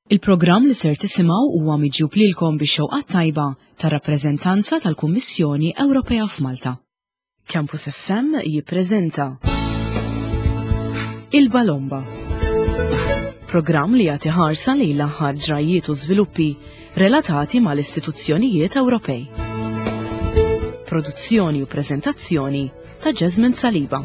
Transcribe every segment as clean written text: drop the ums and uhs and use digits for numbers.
Il-programm li ser tisimgħu huwa miġjub lilkom bix-xewqat tajba tar-rappreżentanza tal-Kummissjoni Ewropea f'Malta. Campus FM jippreżenta Il-Balomba. Programm li jagħti ħarsa lejn l-aħħar ġrajjiet u żviluppi relatati mal-istituzzjonijiet Ewropej. Produzzjoni u preżentazzjoni ta' Jasmine Saliba.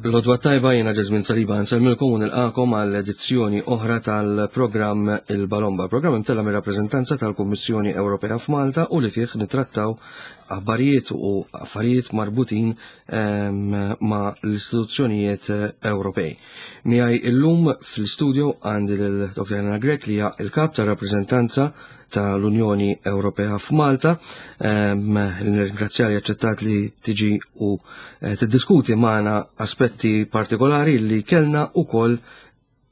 L-odwa tajba jena Ġazmin Saliba nsellmilkom u nilqakom għal edizzjoni oħra tal-programm Il-Balomba. Programm imtella mir-rappreżentanza tal-Kummissjoni Ewropea f'Malta u li fih nitrattaw aħbarijiet u affarijiet marbutin ehm, ma' l-istituzzjonijiet Ewropej. Miegħi illum fl-istudio għandi lil Dr. Elena Grek li hija il-kap tar-rappreżentanza tal-Unjoni Ewropea f'Malta. Ehm, nirringrazzja li aċċettat li tiġi u eh, tiddiskuti magħna aspetti partikolari li kellna ukoll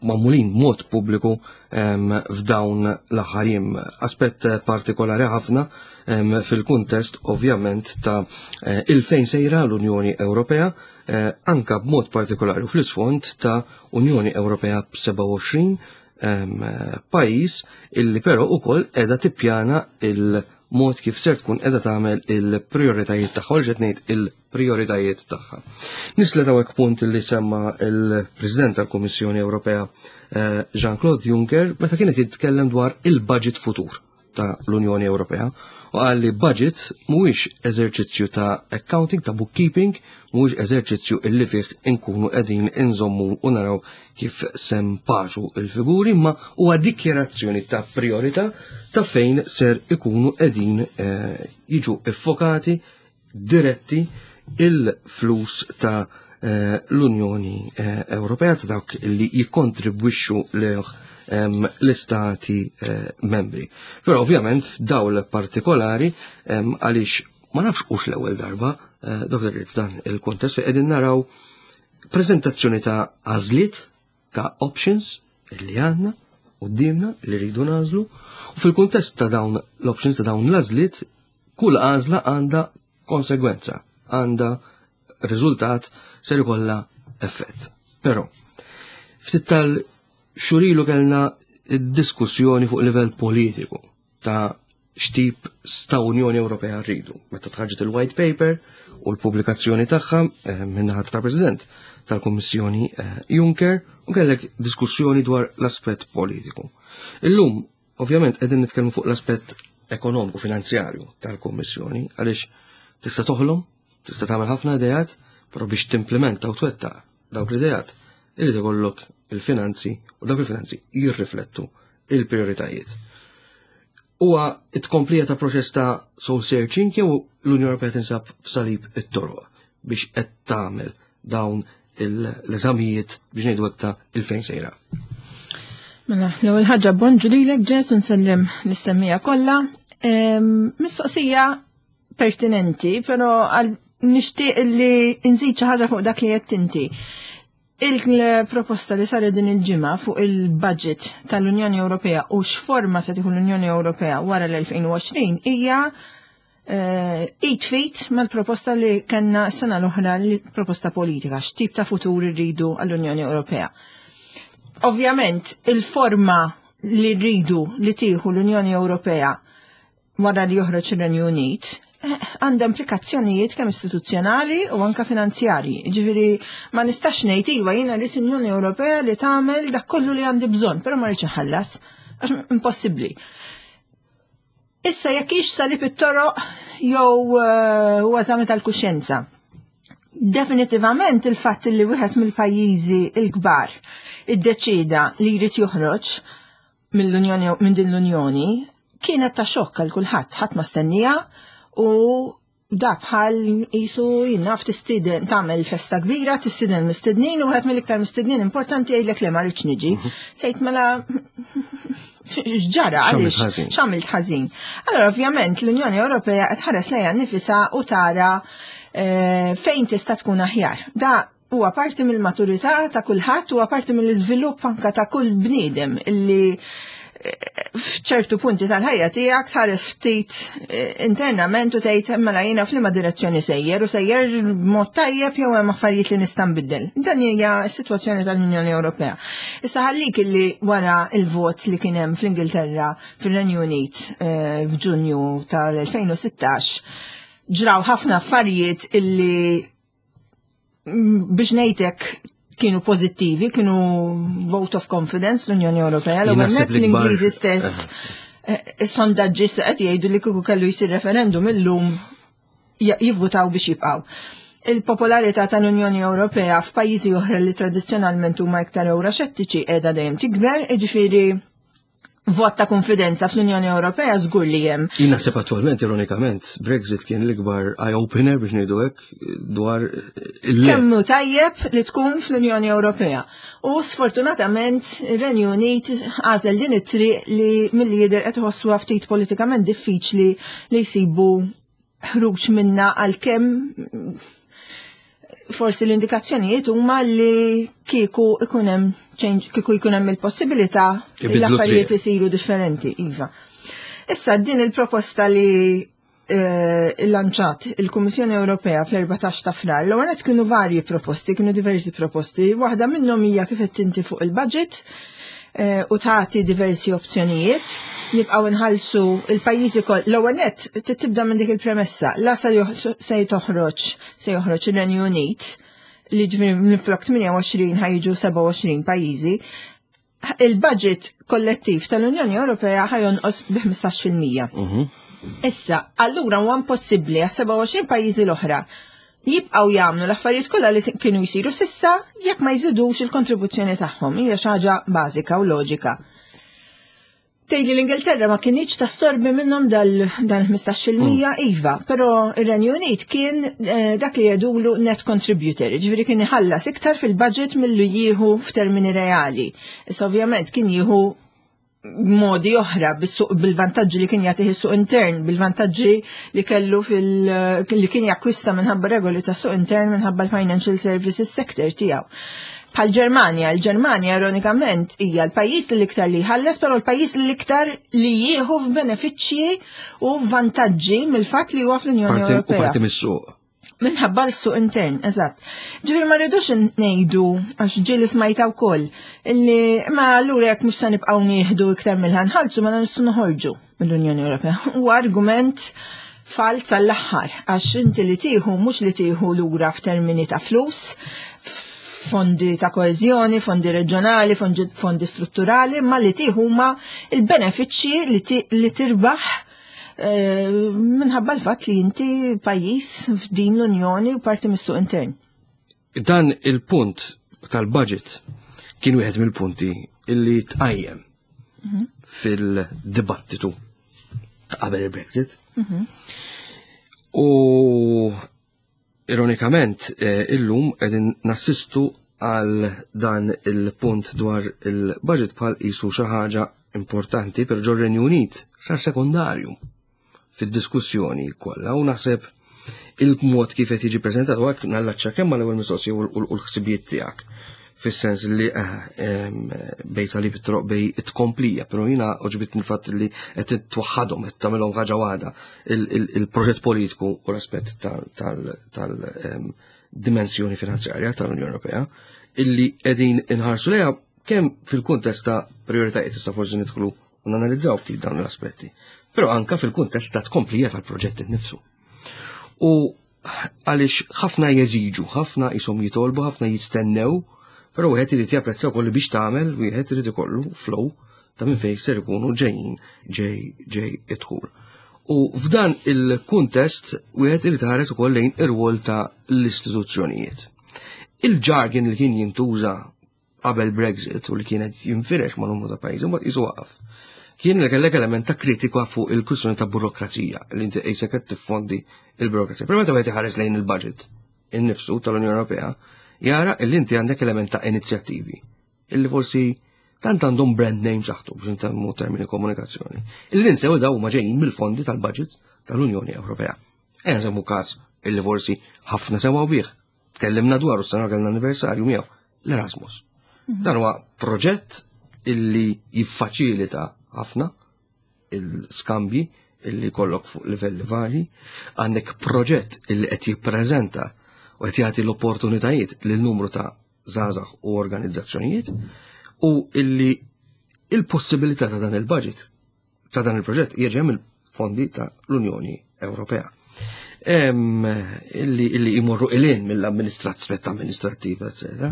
magħmulin mod pubbliku f'dawn l-aħħar jiem. Aspett partikolari ħafna fil-kuntest ovvjament ta' eh, il-fejn sejra l-Unjoni Ewropea eh, anka b'mod partikolari u fl-isfond ta' Unjoni Ewropea b'27 pajjiż illi però ukoll qiegħda tippjana il-mod kif ser tkun qiegħda tagħmel il-prijoritajiet tagħha, u ngħid il prioritajiet tagħha. Nislet hawnhekk punt li semma il-President tal-Kummissjoni Ewropea eh, Jean-Claude Juncker meta kienet jitkellem dwar il-budget futur ta' l-Unjoni Ewropea u qal li budget mhuwiex eżerċizzju ta' accounting, ta' bookkeeping, mhuwiex eżerċizzju illi fih inkunu qegħdin inżommu u naraw kif sempaġu il-figuri, ma huwa dikjerazzjoni ta' priorità ta' fejn ser ikunu qegħdin eh, jiġu iffokati diretti il-flus ta' eh, l-Unjoni eh, Ewropea ta' dawk li jikkontribwixxu lejh ehm, l-istati eh, membri. Però ovvjament f'dawl partikolari ehm, għaliex ma nafx hux l-ewwel darba, Dr. f'dan il-kontest fejn qegħdin naraw prezentazzjoni ta' għażliet ta' options li għandna qudiemna li rridu nagħżlu u fil-kuntest ta' dawn l-options ta' dawn l-għażliet kull għażla għandha konsegwenza, għandha riżultat ser ikollha effett. Però ftit tal-xurilu kellna diskussjoni fuq livell politiku ta' x'tip ta' Unjoni Ewropea rridu. Meta tħarġet il-White Paper u l-pubblikazzjoni tagħha eh, min-naħa tal-President tal-Kummissjoni eh, Juncker u kellek diskussjoni dwar l-aspett politiku. Illum, ovvjament, qegħdin nitkellmu fuq l-aspett ekonomiku finanzjarju tal-Kummissjoni għaliex tista' toħlom, tista' tagħmel ħafna ideat, però biex timplementa u twettaq dawk l-ideat irid ikollok il-finanzi u dawk il-finanzi jirriflettu il-prioritajiet. Huwa t-tkomplija ta' proċess ta' soul searching jew l-Unjoni Ewropea tinsab f'salib it-toroq biex qed tagħmel dawn l-eżamijiet biex ngħidu hekk ta' il-fejn sejra. Mela, l-ewwel ħaġa bonġu lilek Ġesu nsellem lis-semmija kollha. Mistoqsija pertinenti, però għal nixtieq li nżid xi ħaġa fuq dak li qed inti. Il-proposta li saret din il-ġimgħa fuq il-budget tal-Unjoni Ewropea u x'forma se tieħu l-Unjoni Ewropea wara l-2020 hija eh, id fit mal-proposta li kellna s-sena l-oħra li proposta politika, x'tip ta' futur irridu għall-Unjoni Ewropea. Ovvjament, il-forma li rridu li tieħu l-Unjoni Ewropea wara li joħroġ ir-Renju Unit, eh, għandha implikazzjonijiet kemm istituzzjonali u anka finanzjarji. Ġifieri ma nistax ngħid iva jiena rrid Unjoni Ewropea li tagħmel dak kollu li għandi bżonn, però ma rridx inħallas għax impossibbli. Issa jekk hix salib it-toroq jew eh, huwa żami tal-kuxjenza. Definitivament il-fatt li wieħed mill-pajjiżi l-kbar iddeċida li jrid joħroġ mill-Unjoni minn din l-Unjoni kienet ta' xokk għal kulħadd, ħadd ma stennija u da bħal jisu jinnaf tistiden tagħmel festa kbira, tistiden mistednin u wieħed mill-iktar mistednin importanti jgħidlek li ma rridx niġi. Mhm. Sejt mela x'ġara għaliex x'għamilt ħażin. Allora ovvjament l-Unjoni Ewropea qed ħares lejha nifisha u tara eh, fejn tista' tkun aħjar. Da huwa parti mill-maturità ta' kulħadd, huwa parti mill-iżvilupp anka ta' kull bniedem illi. F'ċertu punti tal-ħajja tiegħek tħares ftit internament u tgħid mela jiena f'liema direzzjoni sejjer u sejjer b'mod tajjeb jew hemm affarijiet li nista' nbiddel. Dan hija s-sitwazzjoni tal-Unjoni Ewropea. Issa ħallik illi wara il-vot li kien hemm fl-Ingilterra fir-Renju Unit f'Ġunju tal-2016 ġraw ħafna affarijiet illi biex ngħidlek kienu pożittivi, kienu vote of confidence l-Unjoni Ewropea, l-ewwel Naħseb nett l-ikbar- l-Ingliżi stess is-sondaġġi se qed jgħidu li kieku kellu jsir referendum illum jivvutaw biex jibqgħu. Il-popolarità tal-Unjoni Ewropea f'pajjiżi oħra li tradizzjonalment huma iktar euroxettiċi qiegħda dejjem tikber, jiġifieri vot ta' konfidenza fl-Unjoni Ewropea żgur li hemm. Jien naħseb attualment, ironikament, Brexit kien l-ikbar eye-opener biex ngħidu hekk dwar il-le. Kemm hu tajjeb li tkun fl-Unjoni Ewropea. U sfortunatament ir-Renju Unit għażel din it-triq li milli jidher qed iħossuha ftit politikament diffiċli li jsibu ħruġ minna, għalkemm forsi l-indikazzjonijiet huma li kieku ikun hemm change, kieku jkun hemm il-possibilità li Ibidlu l-affarijiet triq. isiru differenti, iva. Issa din il-proposta li lanċat il-Kummissjoni Ewropea fl-14 ta' Frar, l-ewwel nett kienu varji proposti, kienu diversi proposti, waħda minnhom hija kif qed inti fuq il-budget u tagħti diversi opzjonijiet, nibqgħu nħallsu il-pajjiżi koll. L-ewwel nett tibda minn dik il-premessa, la se toħroġ, se joħroġ ir-Renju Unit, li ġifieri minflok 28 ħa jiġu 27 pajjiżi, il-budget kollettiv tal-Unjoni Ewropea ħa jonqos bi 15%. Issa, allura huwa impossibbli għas 27 pajjiżi l-oħra jibqgħu jagħmlu l-affarijiet kollha li kienu jsiru s'issa jekk ma jżidux il-kontribuzzjoni tagħhom. Hija xi ħaġa bażika u loġika. Tgħidli l-Ingilterra ma kinitx tassorbi minnhom dal 15%, iva, però ir-Renju Unit kien dak li jgħidulu net contributor, ġifieri kien iħallas iktar fil-budget milli jieħu f'termini reali. Issa ovvjament kien jieħu modi oħra bil-vantaġġi li kien jagħtih is-suq intern, bil-vantaġġi li kellu li kien jakkwista minħabba regoli tas suq intern minħabba l-financial services sector tiegħu. Bħal Ġermanja, il-Ġermanja ironikament hija l-pajjiż li l-iktar li jħallas, però l-pajjiż li l-iktar li jieħu f'benefiċċji u vantaġġi mill-fatt li huwa fl-Unjoni U Ewropea. parti mis-suq. Minħabba l-suq intern, eżatt. Ġifieri ma rridux ngħidu, għax ġieli smajta wkoll, illi ma allura jekk mhux se nibqgħu nieħdu iktar mill-ħa nħallsu ma nistgħu noħorġu mill-Unjoni Ewropea. Huwa argument falz għall-aħħar, għax inti li tieħu mhux li tieħu lura f'termini ta' flus, fondi ta' koeżjoni, fondi reġjonali, fondi strutturali, ma li tieħu huma il-benefiċċji li tirbaħ minħabba l-fatt li inti pajjiż f'din l-Unjoni u parti mis-suq intern. Dan il-punt tal-budget kien wieħed mill-punti illi tqajjem fil-dibattitu ta' qabel il-Brexit. U ironikament illum qegħdin nassistu għal dan il-punt dwar il-budget bħal qisu xi ħaġa importanti per ġor-Renju Unit sar sekondarju fid-diskussjoni kollha, u naħseb il-mod kif qed jiġi preżentat u hekk nallaċċa kemm mal-ewwel mistoqsija u l-ħsibijiet tiegħek. Fis-sens li bejn salib it-troq bej it-tkomplija, però jiena għoġbitni l-fatt li qed twaħħadhom, qed tagħmilhom ħaġa waħda il-proġett politiku u l-aspett tal dimensjoni finanzjarja tal-Unjoni Ewropea illi qegħdin inħarsu lejha kemm fil-kuntest ta' prioritajiet, issa forsi nidħlu u nanalizzaw ftit dawn l-aspetti, però anka fil-kuntest ta' tkomplija tal-proġett innifsu. U għaliex ħafna jeżiġu, ħafna jisom jitolbu, ħafna jistennew, però wieħed irid japprezza wkoll li biex tagħmel, wieħed irid ikollu flow ta' minn fejn ser ikunu ġejjin ġej id-dħul. U f'dan il-kuntest wieħed irid iħares ukoll lejn ir-rwol ta' l-istituzzjonijiet. Il-jargon li kien jintuża qabel Brexit u li kienet jinfirex ma' numru ta' pajjiżi, mbagħad qisu waqaf. Kien li kellek element ta' kritika fuq il-kwistjoni ta' burokrazija, li inti qisek qed tiffondi il-burokrazija. Però meta wieħed iħares lejn il-budget innifsu tal-Unjoni Ewropea, jara li inti għandek element ta' inizjattivi illi forsi tant għandhom brand name saħtu biex intemmu termini komunikazzjoni. Illi ninsew daw huma ġejjin mill-fondi tal-budget tal-Unjoni Ewropea. Ejja nsemmu każ illi forsi ħafna semgħu bih. Tkellimna dwaru s-sena kellna anniversarju miegħu, l-Erasmus. Dan huwa proġett illi jiffaċilita ħafna il-skambji illi kollok fuq livelli varji, għandek proġett illi qed jippreżenta u qed jagħti l-opportunitajiet lil numru ta' żgħażagħ u organizzazzjonijiet u illi il-possibilità ta' dan il-budget ta' dan il-proġett jieġi mill-fondi ta' l-Unjoni Ewropea. Illi, illi jmorru ilin mill-amministrazzjoni amministrattiva, etc.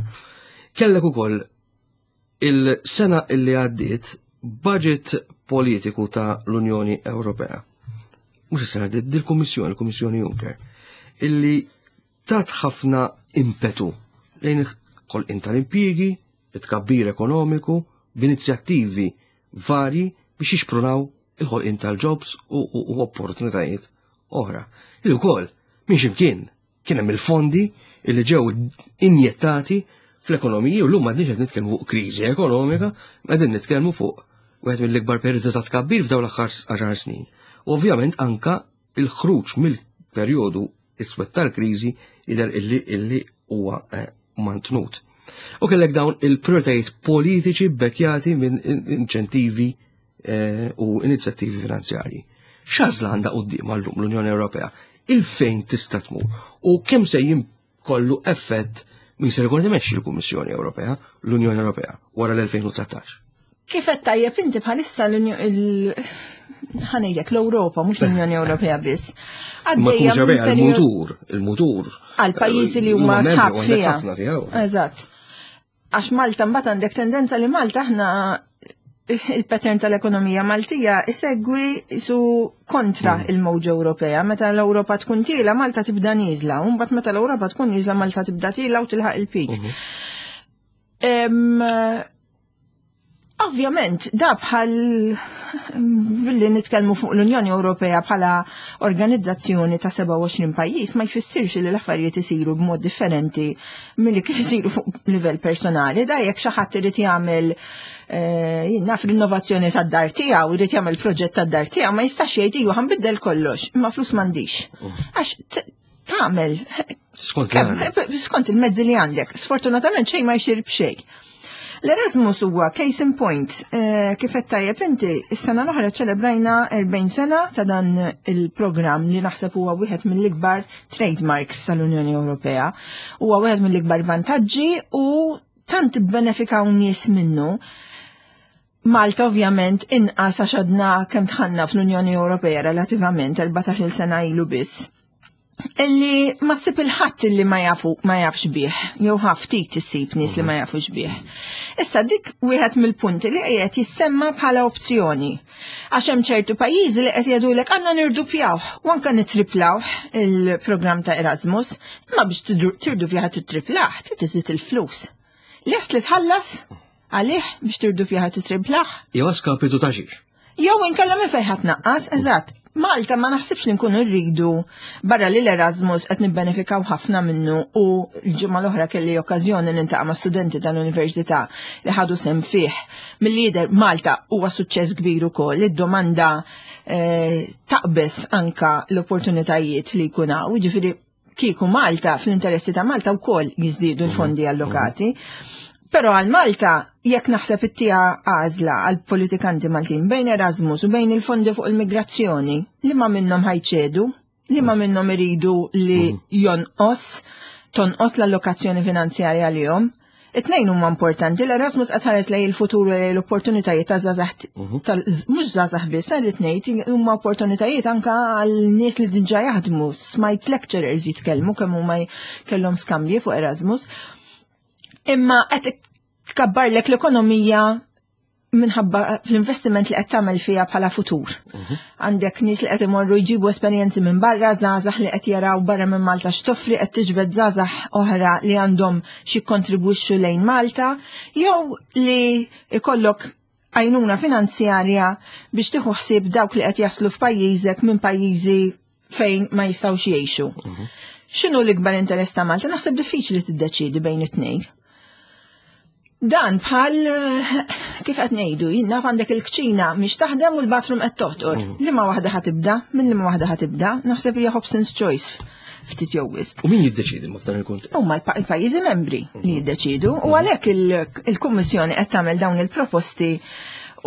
Kellek ukoll il-sena illi għaddiet budget politiku ta' l-Unjoni Ewropea. Mhux is-sena għaddiet, dil-Kummissjoni, il-Kummissjoni Juncker, illi tat ħafna impetu lejn il-ħolqien tal-impjiegi, it-tkabbir ekonomiku, b'inizjattivi varji biex jixprunaw il-ħolqien tal-jobs u, u, u opportunitajiet oħra. Li wkoll minn ximkien kien hemm il-fondi li ġew injettati fl-ekonomiji u llum m'għadniex qed nitkellmu fuq kriżi ekonomika, qegħdin nitkellmu fuq wieħed mill-ikbar perjodi ta' tkabbir f'dawn l-aħħar 10 snin. U ovvjament anka il-ħruġ mill-perjodu iswed tal-kriżi jidher illi illi huwa eh, mantnut. U kellek dawn il-prioritajiet politiċi bekjati minn inċentivi eh, u inizjattivi finanzjarji. X'għażla għandha quddiem llum l-Unjoni Ewropea? Il-fejn tista' tmur u kemm se kollu effett min ser ikun imexxi l-Kummissjoni Ewropea, l-Unjoni Ewropea wara l-2019. Kif qed tajjeb inti bħalissa ħanejjek l-Ewropa, mhux l-Unjoni Ewropea biss. Ma Ewropea il-mutur, il-mutur. Għal pajjiżi li huma sħab fiha. Eżatt. Għax Malta mbagħad għandek tendenza li Malta aħna il-pattern tal-ekonomija Maltija isegwi su kontra mm. il-mowġa Ewropea. Meta l-Ewropa tkun tila, Malta tibda nieżla, u mbagħad meta l-Ewropa tkun nieżla, Malta tibda tila u tilħaq il-pik. Mhm. Ovvjament, da bħal billi nitkellmu fuq l-Unjoni Ewropea bħala organizzazzjoni ta' 27 pajjiż ma jfissirx li l-affarijiet isiru b'mod differenti milli kif isiru fuq livell personali. Da jekk xi ħadd irid jagħmel eh, naf rinnovazzjoni tad-dar tiegħu, irid jagħmel proġett tad-dar tiegħu, ma jistax jgħid iju ħanbiddel kollox, imma flus m'għandix. Mm. Għax tagħmel skont il-mezzi li għandek. Sfortunatament xejn ma jsir b'xejn. L-Erasmus huwa case in point, eh, kif qed tajjeb inti, is-sena l-oħra ċelebrajna 40 sena ta' dan il-programm li naħseb huwa wieħed mill-ikbar trademarks tal-Unjoni Ewropea. Huwa wieħed mill-ikbar vantaġġi u tant ibbenefikaw nies minnu. Malta ovvjament inqas għax għadna kemm dħalna fl-Unjoni Ewropea relativament 14-il sena ilu biss. Illi ma ssib il-ħadd illi ma jafu ma jafx bih, jew ftit issib nies li ma jafux bih. Issa dik wieħed mill-punti li qiegħed jissemma bħala opzjoni. Għax hemm ċertu pajjiżi li qed jgħidulek għandna nirdupjawh u anke nitriplawh il-programm ta' Erasmus, imma biex tirdupjah titriplah trid iżid il-flus. Lest li tħallas għalih biex tirdupjah titriplah? Jew skapitu ta' xiex. Jew inkella minn fejn ħadd naqqas, eżatt. Malta ma naħsibx li nkunu rridu barra li l-Erasmus qed nibbenefikaw ħafna minnu u l-ġimgħa l-oħra kelli okkażjoni nintaqa' ma' studenti tal-università li ħadu sem fih. Mill-lider Malta huwa suċċess kbir ukoll, id-domanda eh, taqbes anka l-opportunitajiet li jkun hawn, jiġifieri kieku Malta, fl-interessi ta' Malta wkoll jiżdiedu l-fondi allokati. Però għal Malta, jekk naħseb it-tija għażla għal politikanti Maltin bejn Erasmus u bejn il-fondi fuq il-migrazzjoni, li ma minnhom ħajċedu, li ma minnhom iridu li mhm. jonqos, tonqos l-allokazzjoni finanzjarja għalihom. It-tnejn huma importanti, l-Erasmus qed ħares lejn il-futur u lejn l-opportunitajiet ta' żgħażagħ mhm. mhux żgħażagħ biss, irrid ngħid huma opportunitajiet anke għal nies li diġà jaħdmu, smajt lecturers jitkellmu kemm huma kellhom skambji fuq Erasmus. Imma qed tkabbarlek l-ekonomija minħabba fl-investiment li qed tagħmel fiha bħala futur. Mhm. Għandek nies li qed imorru jġibu esperjenzi minn barra, żgħażagħ li qed jaraw barra minn Malta x'toffri qed tiġbed żgħażagħ oħra li għandhom xi kontribwixxu lejn Malta, jew li ikollok għajnuna finanzjarja biex tieħu ħsieb dawk li qed jaslu f'pajjiżek minn pajjiżi fejn ma jistgħux jgħixu. Mhm. X'inhu l-ikbar interess ta' Malta? Naħseb diffiċli tiddeċiedi bejn it-tnejn. Dan bħal kif qed ngħidu, jien naf għandek il-kċina mhix taħdem u l-bathroom qed toħtor. Mm. Liema waħda ħa tibda, minn liema waħda ħa tibda, naħseb hija Hobson's choice ftit jew wisq. U min jiddeċiedi ma f'dan il-kuntest? Huma l-pajjiżi membri li mm. jiddeċidu u mm. għalhekk il-Kummissjoni qed tagħmel dawn il-proposti.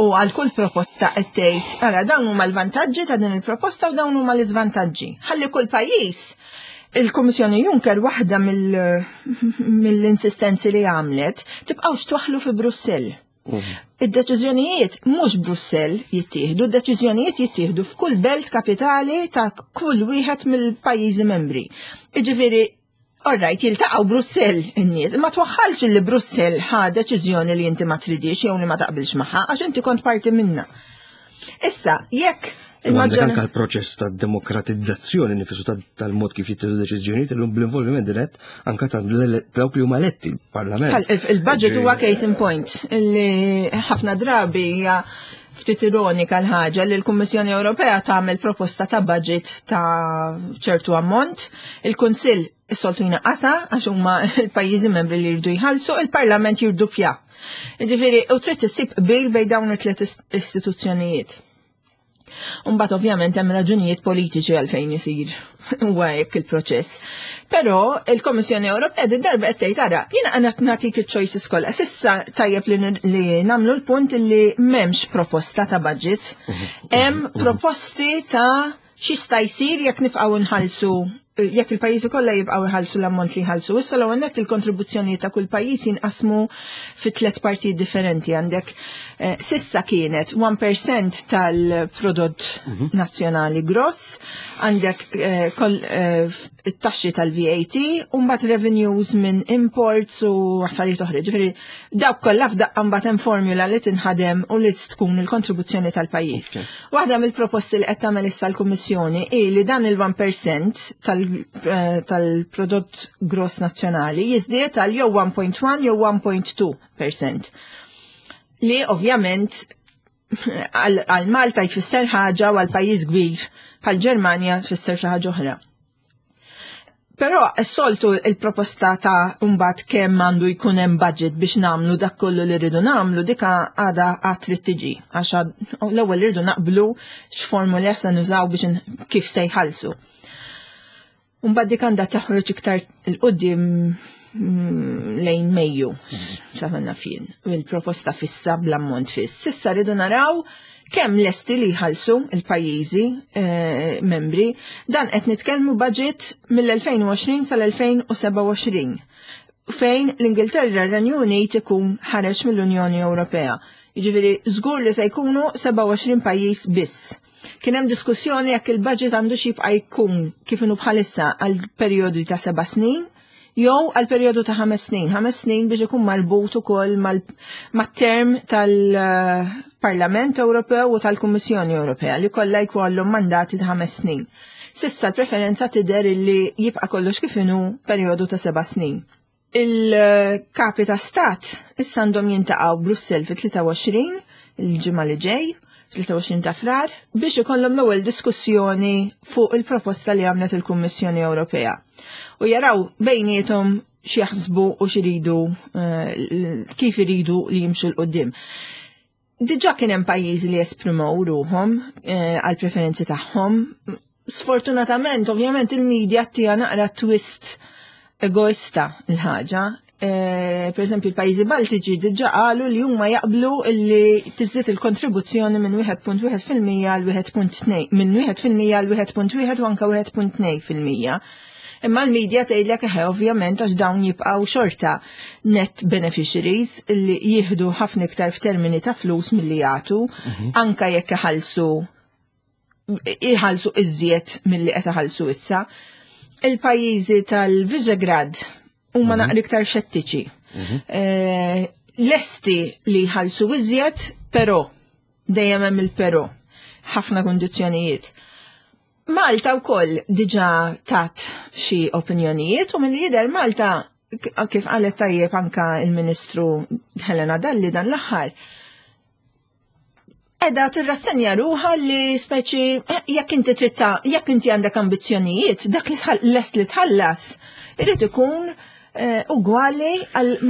U għal kull proposta qed tgħid, ara dawn huma l-vantaġġi ta' din il-proposta u dawn huma l-iżvantaġġi. Ħalli kull pajjiż il-Kummissjoni Juncker waħda mill-insistenzi li għamlet tibqgħux twaħlu fi Brussell. Id-deċiżjonijiet mhux Brussell jittieħdu, id-deċiżjonijiet jittieħdu f'kull belt kapitali ta' kull wieħed mill-pajjiżi membri. Jiġifieri Alright, jiltaqgħu Brussell in-nies, ma twaħħalx li Brussell ħa deċiżjoni li inti ma tridix jew li ma taqbilx magħha għax inti kont parti minna. Issa, jekk Għandek anka l-proċess ta' demokratizzazzjoni nifisu tal-mod kif jittieħdu deċiżjonijiet illum bl-involviment dirett anka ta' dawk li huma eletti l-Parlament. Il-budget huwa case in point li ħafna drabi hija ftit ironika l-ħaġa li l-Kummissjoni Ewropea tagħmel proposta ta' budget ta' ċertu ammont, il-Kunsill is-soltu jnaqqasha għax huma l-pajjiżi membri li jridu jħallsu, il-Parlament jirduppja. Ġifieri, u trid issib qbil bejn dawn it-tliet istituzzjonijiet. Umbat ovvjament hemm raġunijiet politiċi għalfejn isir huwa hekk il-proċess. Però il-Kommissjoni Ewropea din darba qed tgħid ara, jiena qed nagħtik iċ-choices kollha. Sissa tajjeb li nagħmlu l-punt li m'hemmx proposta ta' budget, hemm proposti ta' x'jista' jsir jekk nibqgħu nħallsu jekk il-pajjiżi kollha jibqgħu jħallsu l-ammont li jħallsu. Issa l-ewwel nett il-kontribuzzjonijiet ta' kull pajjiż jinqasmu fi tliet partijiet differenti għandek eh, sissa kienet 1% tal-prodott mhm. nazzjonali gross, għandek eh, eh, it-taxxi tal-VAT u mbagħad revenues minn imports u affarijiet oħra. Ġifieri dawk kollha f'daqqa mbagħad hemm formula li tinħadem u li tkun il-kontribuzzjoni tal-pajjiż. Waħda mill-proposti li qed tagħmel issa l-Kummissjoni hi li dan il-1% eh, tal-prodott gross nazzjonali jiżdied għal jew 1.1 jew 1.2%. Li ovvjament għal Malta jfisser ħaġa u għal pajjiż kbir bħal Ġermanja tfisser xi ħaġa oħra. Però s-soltu il-proposta ta' mbagħad kemm għandu jkun hemm budget biex nagħmlu dak kollu li rridu nagħmlu dika għadha għad trid tiġi għax l-ewwel rridu naqblu x'formula se nużaw biex kif se jħallsu. Mbagħad dik għandha taħroġ iktar il-qudiem mm, lejn Mejju, sa naf jien, il-proposta fissa bl-ammont fiss. Sissa rridu naraw kemm lesti li jħallsu il-pajjiżi eh, membri, dan qed nitkellmu budget mill-2020 sal-2027 fejn l-Ingilterra r-Renju Unit ikun ħareġ mill-Unjoni Ewropea. Jiġifieri żgur li se jkunu 27 pajjiż biss. Kien hemm diskussjoni jekk il-budget għandu jibqa' jkun kif inhu bħalissa għal perjodi ta' seba' snin jew għal perjodu ta' ħames snin. ħames snin biex ikun marbut ukoll mat-term tal-Parlament Ewropew u tal-Kummissjoni Ewropea li kollha jkollhom mandati ta' ħames snin. Sissa l-preferenza tidher li jibqa' kollox kif inhu perjodu ta' seba' snin. Il-kapi ta' stat issa għandhom jiltaqgħu Brussell fit-23 il-ġimgħa li ġej, 23 ta' frar, biex ikollhom l-ewwel diskussjoni fuq il-proposta li għamlet il-Kummissjoni Ewropea. U jaraw bejniethom x'jaħsbu u x'iridu eh, kif iridu li jimxu 'l quddiem. Diġà kien hemm pajjiżi li esprimew ruħhom eh, għal preferenzi tagħhom. Sfortunatament, ovvjament il-medja ttiha naqra twist egoista l-ħaġa. Eh, per eżempju, il-pajjiżi Baltiċi diġà qalu li huma jaqblu li tiżdied il-kontribuzzjoni minn 1.1% għal 1.2 minn 1% għal 1.1 u anke 1.2%. Imma l-medja tgħidlek eħe ovvjament għax dawn jibqgħu xorta net beneficiaries li jieħdu ħafna iktar f'termini ta' flus milli jagħtu, anka jekk iħallsu iħallsu iżjed milli qed iħallsu issa. Il-pajjiżi tal-Visegrad huma naqra iktar xettiċi. Eh, Lesti li jħallsu iżjed, però dejjem hemm il-però ħafna kondizzjonijiet. Malta wkoll diġà tat xi opinjonijiet u milli jidher Malta kif qalet tajjeb anka il-Ministru Helena Dalli dan l-aħħar. Edha tirrassenja ruħha li speċi eh, jekk inti tritta, jekk inti għandek ambizzjonijiet, dak li lest li tħallas, irid ikun eh, ugwali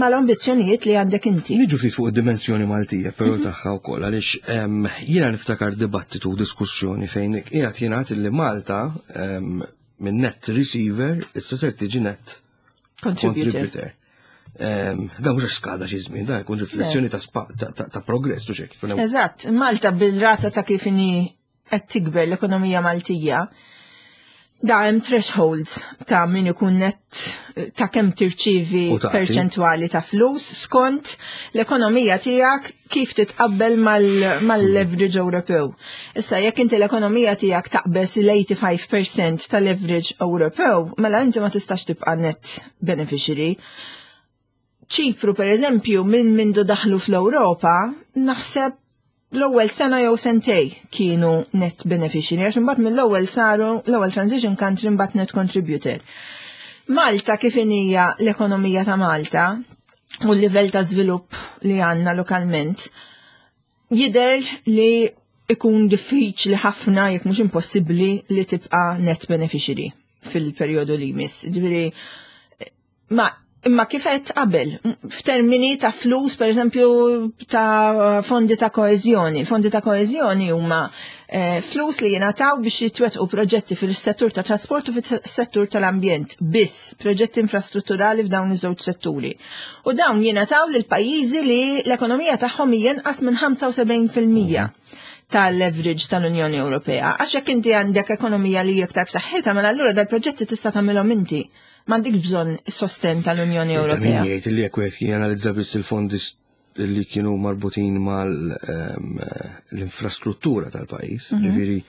mal-ambizzjonijiet li għandek inti. Niġu ftit fuq id-dimensjoni Maltija, però tagħha wkoll għaliex jiena niftakar dibattitu u diskussjoni fejn qiegħed jingħad li Malta minn net receiver issa ser tiġi net Contributor. contributor. Da mhux għax skada xi żmien, da jkun riflessjoni ta' progress u xek. Eżatt, Malta bil-rata ta' kif inhi qed tikber l-ekonomija Maltija, da hemm thresholds ta' min ikun net ta' kemm tirċivi perċentwali ta' flus skont l-ekonomija tiegħek kif titqabbel mal-leverage Ewropew. Issa jekk inti l-ekonomija tiegħek taqbeż l-85% tal-leverage Ewropew, mela inti ma tistax tibqa' net beneficiary. Ċipru per eżempju minn mindu daħlu fl-Ewropa, naħseb l-ewwel sena jew sentej kienu net beneficiary, għax imbagħad mill-ewwel saru l-ewwel transition country, mbagħad net contributor. Malta, kif hija l-ekonomija ta' Malta u l-livell ta' żvilupp li għandna lokalment, jidher li ikun diffiċli ħafna, jekk mhux impossibbli, li tibqa' net beneficiary fil-perjodu li jmiss. Ġifieri, ma imma kif qed qabel, f'termini ta' flus, per eżempju, ta' fondi ta' koeżjoni. Fondi ta' koeżjoni huma flus li jingħataw biex jitwettqu proġetti fil-settur ta' trasport u fil-settur tal-ambjent, biss proġetti infrastrutturali f'dawn iż-żewġ setturi. U dawn jingħataw lil pajjiżi li l-ekonomija tagħhom hija inqas minn 75% tal-leverage tal-Unjoni Ewropea. Għax jekk inti għandek ekonomija li hija iktar b'saħħitha, mela allura dal-proġetti tista' tagħmilhom inti. M'għandek bżonn sosten tal-Unjoni Ewropea. Min jgħid li jekk wieħed janalizza biss il-fondi li kienu marbutin mal-infrastruttura tal-pajjiż, ġifieri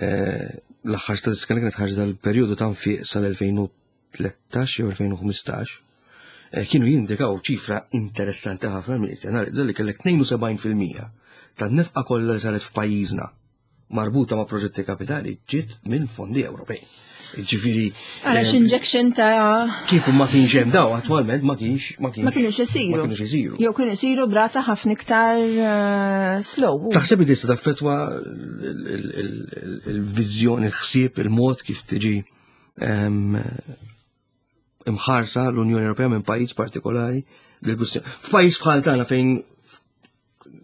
l-aħħar statistika li kienet ħarġet dal-perjodu ta' nfiq sal-2013 jew 2015, kienu jindikaw ċifra interessanti ħafna minn analizza li kellek 72% tan-nefqa kollha li saret f'pajjiżna marbuta ma' proġetti kapitali ġiet minn fondi Ewropej. Ġifieri. Għara injection ta' Kieku ma kienx hemm daw, attwalment ma kienx ma kienx ma kienux isiru. Ma kienux isiru. Jew kienu isiru brata ħafna iktar slow. Taħseb li tista' taffettwa il-viżjoni, il-ħsieb, il-mod kif tiġi imħarsa l-Unjoni Ewropea minn pajjiż partikolari? F'pajjiż bħal tagħna fejn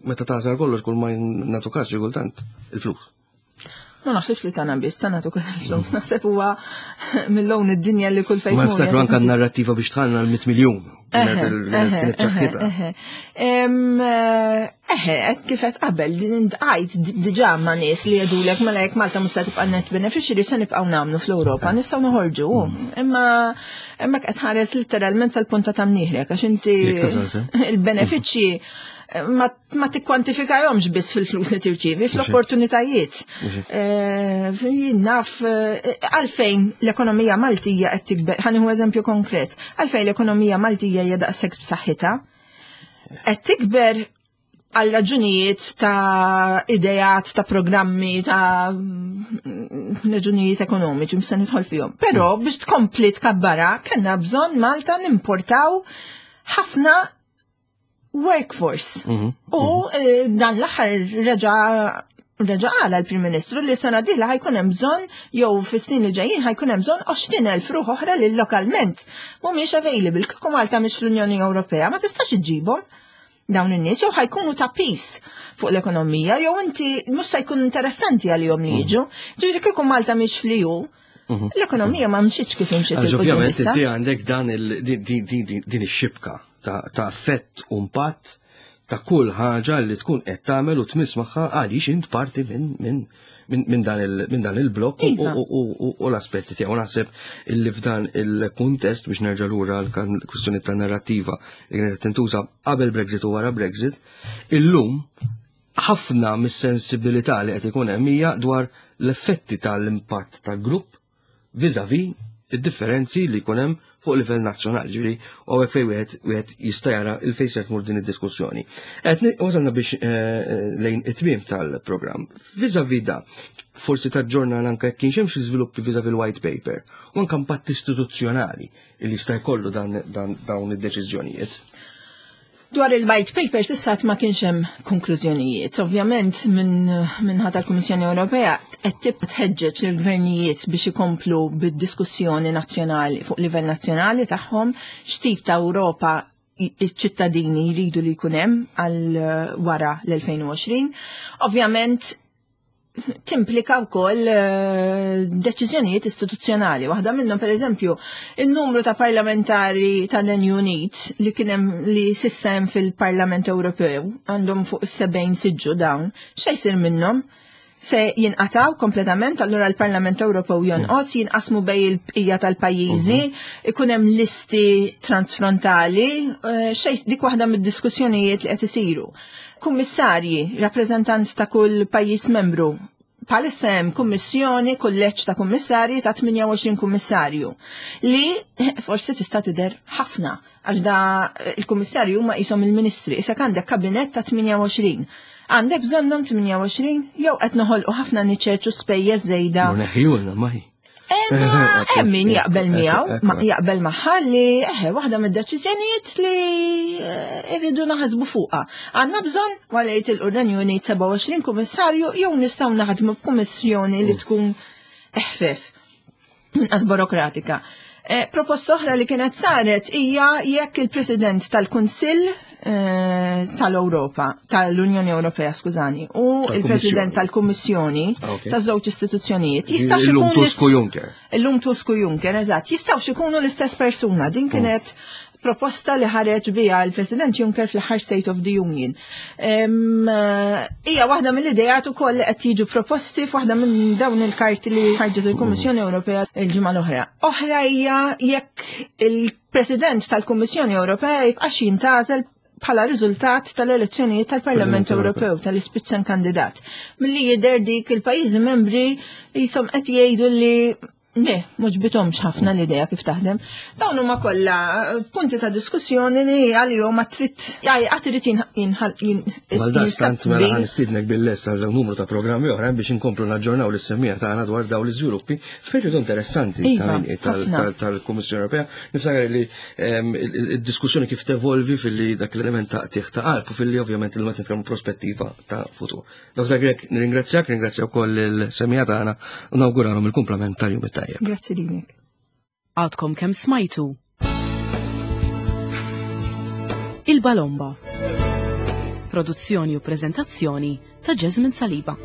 meta tagħsar kollox kull ma nagħtu każ xi kultant il-flus. Ma naħsibx li tagħna biss ta' nagħtu każ il-flus, naħseb huwa mill-lawn id-dinja li kull fejn. Ma niftakru anke n-narrattiva biex tħallna l-100 miljun. Kienet ċaħħitha. Eħe, qed kif qed qabel, għajt diġà ma' nies li jgħidulek mela jekk Malta mhux se tibqa' net beneficiary se nibqgħu nagħmlu fl-Ewropa, nistgħu noħorġu. Imma hemmhekk qed ħares literalment sal-punta ta' mnieħrek għax inti il-benefiċċji ma tikkwantifikajhomx biss fil-flus li tirċievi, fl-opportunitajiet. Jien naf għalfejn l-ekonomija Maltija qed tikber, ħa nieħu eżempju konkret, għalfejn l-ekonomija Maltija hija daqshekk b'saħħitha, qed tikber għal raġunijiet ta' idejat, ta' programmi, ta' raġunijiet ekonomiċi, mhux se nidħol fihom. Però biex tkompli tkabbara, kellna bżonn Malta nimportaw ħafna workforce. U dan l-aħħar reġa' qala l-Prim Ministru li sena dieħla ħa jkun hemm bżonn, jew fis-snin li ġejjin ħa jkun hemm bżonn 20,000 ruħ oħra li lokalment mhumiex available. Kieku Malta mhix fl-Unjoni Ewropea ma tistax iġġibhom dawn in-nies, jew ħa jkunu ta' piż fuq l-ekonomija, jew inti mhux se jkun interessanti għalihom li jiġu. Ġifieri kieku Malta mhix fl-EU, l-ekonomija ma mxietx kif imxiet Għax il-quddiem ovvjament issa. Inti għandek din ix-xibka ta' effett u impatt ta' kull ħaġa li tkun qed tagħmel u tmiss magħha għaliex int parti minn dan il-blokk u l-aspetti tiegħu. Naħseb illi f'dan il-kuntest, biex nerġa' lura l-kwistjoni ta' narrattiva li kienet tintuża qabel Brexit u wara Brexit, illum ħafna mis-sensibilità li qed ikun hemm hija dwar l-effetti tal-impatt tal-grupp vis-à-vis id-differenzi li jkun hemm fuq livell nazzjonali, ġifieri u hekk fejn wieħed jista' jara il fejn se tmur din id-diskussjoni. Qed wasalna biex lejn it-tmiem tal-programm. Vis-à-vis da, forsi taġġorna anke jekk kienx hemm xi żviluppi vis-à-vis il-white paper u anke impatt istituzzjonali li jista' jkollu dawn id-deċiżjonijiet. Dwar il-white paper s'issa ma kienx hemm konklużjonijiet. Ovvjament minn ħadd tal-Kummissjoni Ewropea qed tibqa' tħeġġeġ lill-gvernijiet biex ikomplu bid-diskussjoni nazzjonali fuq livell nazzjonali tagħhom x'tip ta' Ewropa iċ-ċittadini jridu li jkun hemm għal wara l-2020. Ovvjament. timplika wkoll eh, deċiżjonijiet istituzzjonali. Waħda minnhom pereżempju, il-numru ta' parlamentari tan-Renju Unit li kien hemm li s'issa hemm fil-Parlament Ewropew għandhom fuq 70 siġġu dawn, x'se jsir minnhom? Se jinqataw kompletament, allura l-Parlament Ewropew jonqos, jinqasmu bej il-bqija tal-pajjiżi, mhm. ikun hemm listi transfrontali, eh, xejn dik waħda mid-diskussjonijiet li qed isiru. Kummissarji, rappreżentant ta' kull pajjiż membru, bħalissa hemm kummissjoni, kulleġġ ta' kummissarji ta' 28 kummissarju li forsi tista' tidher ħafna għax da il-kummissarju huma qishom il-ministri, issa għandek kabinett ta' 28. Għandek bżonnhom 28 jew qed noħolqu ħafna niċeċ u spejjeż żejda. Neħjulna maħi. Hemm min jaqbel miegħu, ma jaqbel magħha li eħe waħda mid-deċiżjonijiet li eh, irridu naħsbu fuqha. Għandna bżonn wara li jitilqu r-Renju Unit 27 kummissarju jew nistgħu naħdmu b'kummissjoni li tkun eħfef inqas burokratika. Eh, proposta oħra li kienet saret hija jekk il-President tal-Kunsill eh, tal-Ewropa, tal-Unjoni Ewropea, skużani, u il-President tal-Kummissjoni ah, ta' żewġ istituzzjonijiet jistax ikun Tusk u Juncker. Illum Tusk u Juncker, eżatt, jistgħux ikunu l-istess persuna. Din mm. kienet proposta li ħareġ biha l-President Juncker fl-aħħar State of the Union. Eh, hija waħda mill-idejat ukoll li qed jiġu proposti f'waħda minn dawn il-karti li ħarġet il-Kummissjoni Ewropea il-ġimgħa l-oħra. Oħra hija jekk il-President tal-Kummissjoni Ewropea jibqax jintgħażel bħala riżultat tal-elezzjonijiet tal-Parlament Ewropew tal-Spitzenkandidat. Milli jidher dik il-pajjiżi membri jisom qed jgħidu li Le, mhux bitomx ħafna l-idea kif taħdem. Dawn huma kollha eh, punti ta' diskussjoni li għalihom ma trid għad irid jinħal Għaldaqstant mela ħan nistiednek bil-lest għal numru ta' programmi oħra biex inkomplu naġġornaw lis-semmija tagħna dwar dawn l-iżviluppi f'perjodu interessanti iva, tal-Kummissjoni Ewropea. Niftakar li ehm, id-diskussjoni kif tevolvi filli dak l-element ta' qtigħ ta' qalb u filli ovvjament il-meta nitkellmu prospettiva ta' futur. Dr. Grek, nirringrazzjak, ringrazzja wkoll il-semija tagħna u nawguralhom il-kumplament tal-jum it-tajjeb. Grazzi lilek. Għadkom kemm smajtu. Il-Balomba. Produzzjoni u preżentazzjoni ta' Jasmine Saliba.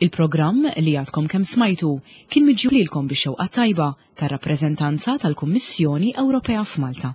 Il-programm li għadkom kemm smajtu kien miġjub lilkom bix-xewqa tajba tar-rappreżentanza tal-Kummissjoni Ewropea f'Malta.